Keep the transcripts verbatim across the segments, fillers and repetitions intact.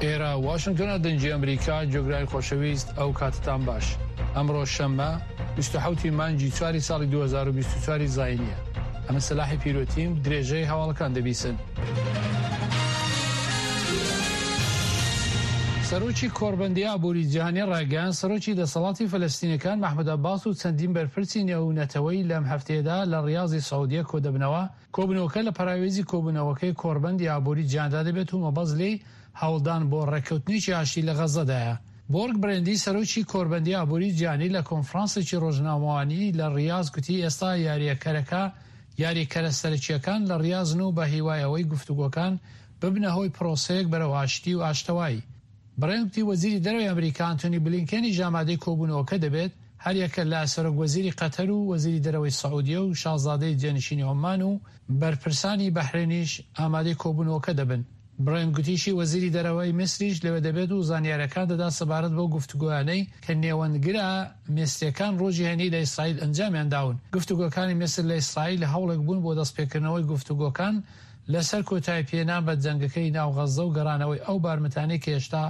ئێرە واشنگتۆنە، دەنگی ئەمریکا. گوێگرانی خۆشەویست، ئەو کاتتان باش. ئەمڕۆ شەممە بیست و حەوت ی مانگی چواری ساڵی دوو هەزار و بیست و چوار زاینیە. ئەمە سەلاحی پیرۆتیم، درێژەی هەواڵەکان دەبیسن. سەرۆکی کۆڕبەندی ئابووری جیهانی ڕایگەیاند، سەرۆکی دەسەڵاتی فەلەستینەکان مەحمود عەباس و چەندین بەرپرسی نێونەتەوەیی لەم هەفتەیەدا لە ڕیاضی سعودیە کۆدەبنەوە. کۆبوونەوەکە لە پەراوێزی کۆبوونەوەکەی کۆڕبەندی ئابووری جیهاندا دەبێت و مەبەست لێی هەوڵدان بۆ ڕێککەوتنێکی ئاشتی لە غەززەدایە. بۆرگ برێندی سەرۆکی کۆڕبەندی ئابووری جیهانی لە کۆنفرانسێکی ڕۆژنامەوانی لە ڕیاض گوتی ئێستا یاریەکەرەکە یاریکەرە سەرەکییەکان لە ڕیاضن و بە هیوای ئەوەی گفتوگۆکان ببنە هۆی پرۆسەیەک بەرەو ئاشتی و ئاشتەوایی. برێند گوتی وەزیری دەرەوەی ئەمریکا ئەنتۆنی بلینکێنیش ئامادەی کۆبوونەوەکە دەبێت، هەریەکە لە سەرۆک وەزیری قەتەر و وەزیری دەرەوەی سعودیە و شازادەی جێنشینی عومان و بەرپرسانی بەحرێنیش ئامادەی کۆبوونەوەکە دەبن. برێند گوتیشی وەزیری دەرەوەی میسریش لەوێ دەبێت و زانیاریەکان دەدات سەبارەت بەو گفتوگۆیانەی کە نێوەندگرە میسریەکان ڕۆژی هەینی لە ئیسرائیل ئەنجامیان داون. گفتوگۆکانی میسر لە ئیسرائیل هەوڵێک بوون بۆ دەستپێکردنەوەی گفتوگۆکان لەسەر کۆتایی پێنان بە جەنگەکەی ناو غەززە و گەڕانەوەی ئەو بارمتانەی کە هێشتا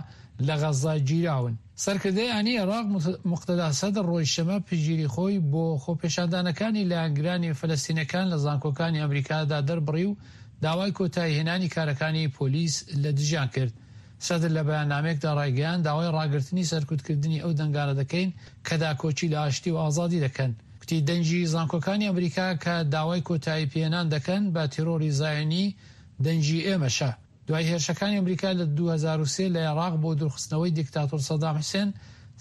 لە غەززە گیراون. سەرکردەی ئانی عێراق موقتەدا سەدر ڕۆژی شەممە پشتگیری خۆی بۆ خۆپێشاندانەکانی لایەنگرانی فەلەستینەکان لە زانکۆکانی ئەمریکادا دەربڕی و داوای کۆتایی هێنانی کارەکانی پۆلیس لە دژیان کرد. سەدر لە بەیاننامەیەکدا ڕایگەیاند، داوای ڕاگرتنی سەرکوتکردنی ئەو دەنگانە دەکەین کە داکۆکی لە ئاشتی و ئازادی دەکەن. گوتی دەنگی زانکۆکانی ئەمریکا کە داوای کۆتایی پێهێنان دەکەن بە تیرۆری زایۆنی دەنگی ئێمەشە. دوای هێرشەکانی ئەمریکا لە دوو هەزار و سێ لە عێراق بۆ دوورخستنەوەی دیکتاتۆر سەدام حوسێن،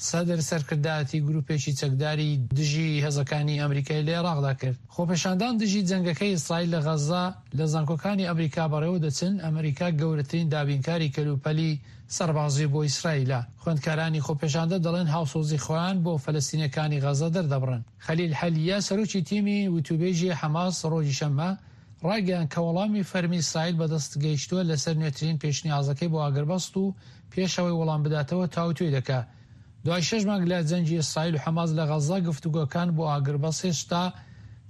سەدر سەرکردایەتی گروپێکی چەکداری دژی هێزەکانی ئەمریکای لە عێراقدا کرد. خۆپێشاندان دژی جەنگەکەی ئیسرائیل لە غەززە لە زانکۆکانی ئەمریکا بەڕێوە دەچن. ئەمریکا گەورەترین دابینکاری کەلوپەلی سەربازی بۆ ئیسرائیلە. خوێندکارانی خۆپێشاندە دەڵێن هاوسۆزی خۆیان بۆ فەلەستینەکانی غەززە دەردەبڕن. خەلیل حەلیە سەرۆکی تیمی وتوبێژی حەماس ڕۆژی شەممە ڕایگەیاند کە وەڵامی فەرمی ئیسرائیل بەدەست گەیشتووە لەسەر نوێترین پێشنیازەکەی بۆ ئاگربەست و پێشەوەی وەڵام بداتەوە تاوتوێی دەکا. دوای شەش مانگ لە جەنگی ئیسرائیل و حەماس لە غەززە، گفتوگۆکان بۆ ئاگربەست هێشتا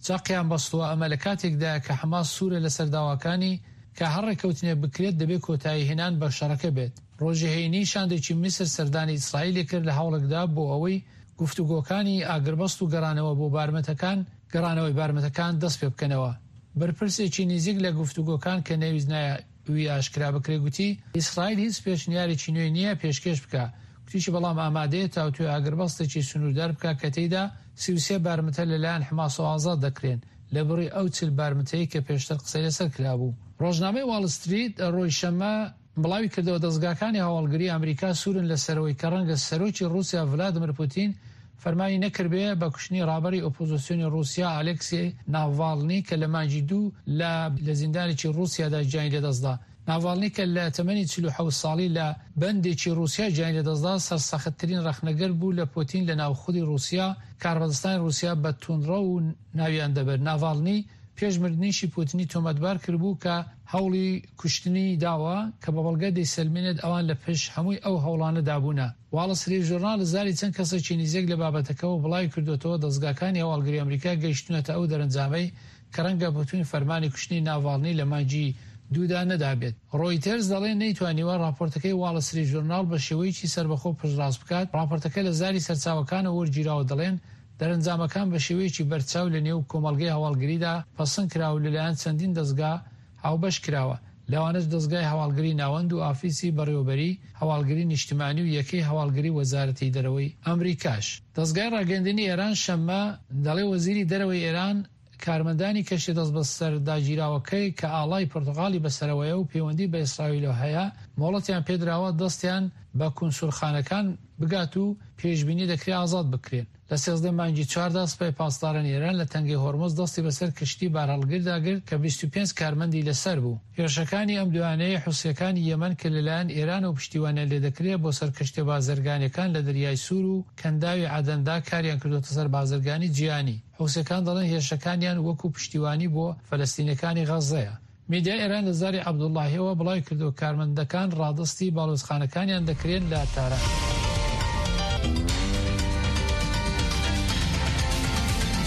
چەقیان بەستووە، ئەمە لە کاتێکدایە کە حەماس سوورە لەسەر داواکانی کە هەر ڕێککەوتنێک بکرێت دەبێت کۆتایی هێنان بە شەڕەکە بێت. ڕۆژی هەینی شاندێکی میسر سەردانی ئیسرائیلی کرد لە هەوڵێکدا بۆ ئەوەی گفتوگۆکانی ئاگربەست و گەڕانەوە بۆ بارمتەکان گەڕانەوەی بارمتەکان دەست پێ بکەنەوە. بەرپرسێکی نزیک لە گفتوگۆکان کە نەویست ناوی ئاشکرا بکرێ گوتی ئیسرائیل هیچ پێشنیارێکی نوێ نییە پێشکێش بکە. گوتیشی بەڵام ئامادەیە تاوتوێ ئاگربەستێکی سنووردار بکە کە تێیدا سی و سێ بارمتە لەلایەن حەماسەوە ئازاد دەکرێن لە بڕی ئەو چل بارمتەی کە پێشتر قسەی لەسەر کرابوو. ڕۆژنامەی واڵ ستریت ڕۆژی شەممە بڵاوی کردەوە دەزگاکانی هەواڵگری ئەمریکا سوورن لەسەرەوەی کە ڕەنگە سەرۆکی ڕووسیا ڤلادیمیر پوتین فەرمانی نەکردبێ بە کوشتنی ڕابەری ئۆپۆزیسیۆنی ڕووسیا ئالێکسی ناڤالنی کە لە مانگی دوو لە لە زیندانێکی ڕووسیادا گیانی لەدەستدا. ناڤالنی کە لە تەمەنی چل و حەوت ساڵی لە بەندێکی ڕووسیا گیانی لەدەستدا، سەرسەختترین ڕەخنەگر بوو لە پوتین لە ناو خودی ڕووسیا. کاربەدەستانی ڕووسیا بە توندڕەو و ناویان دەبرد. ناڤالنی پێش مردنیشی پوتینی تۆمەتبار کردبوو کە هەوڵی کوشتنی داوە، کە بە بەڵگە دەیسەلمێنێت ئەوان لە پشت هەمووی ئەو هەوڵانەدا بوونە. واڵ ستریت ژورناڵ لە زاری چەند کەسێکی نزیک لە بابەتەکەوە بڵاوی کردوێتەوە دەزگاکانی هەواڵگری ئەمریکا گەیشتونەتە ئەو دەرەنجامەی کە ڕەنگە پوتین فەرمانی کوشتنی ناڤالنی لە مانگی دوودا نەدابێت. ڕۆیتەرز دەڵێ نەیتوانیوە ڕاپۆرتەکەی واڵ ستریت ژورناڵ بە شێوەیەکی سەربەخۆ پشتڕاست بکات. ڕاپۆرتەکە لە زاری سەرچاوەکانەوە وەرگیراوە، دەڵێن دەرەنجامەکان بە شێوەیەکی بەرچاو لە نێو کۆمەڵگەی هەواڵگریدا پەسەند کراوە و لەلایەن چەندین دەزگا هاوبەش کراوە، لەوانەش دەزگای هەواڵگری ناوەند و ئافیسی بەڕێوەبەری هەواڵگری نیشتمانی و یەکەی هەواڵگری وەزارەتی دەرەوەی ئەمریکاش. دەزگای ڕاگەیاندنی ئێران شەممە دەڵێ وەزیری دەرەوەی ئێران کارمەندانی کەشتی دەست بەسەرداگیراوەکەی کە ئاڵای پرتغالی بەسەرەوەیە و پەیوەندی بە ئیسرائیلەوە هەیە مۆڵەتیان پێدراوە دەستیان بە کونسولخانەکان بگات و پێشبینی دەکرێت ئازاد بکرێن. لە سێزدە مانگی چواردا سوپای پاسدارانی ئێران لە تەنگەی هۆرمز دەستی بەسەر کەشتی بارهەڵگردا گرت کە بیست و پێنج کارمەندی لەسەر بوو. هێرشەکانی ئەم دوایانەی حوسیەکانی یەمەن کە لەلایەن ئێرانەوە پشتیوانیان لێدەکرێت بۆ سەر کەشتیە بازرگانیەکان لە دەریای سوور و کەنداوی عەدەندا کاریان کردووەتە سەر بازرگانی جیهانی. حوسیەکان دەڵێن هێرشەکانیان وەکو پشتیوانی بۆ فەلەستینەکانی غەززەیە. میدیای ئێران لە زاری عەبدوڵڵاهیەوە بڵاوی کردەوە کارمەندەکان ڕادەستی باڵیۆزخانەکانیان دەکرێن لە تاران.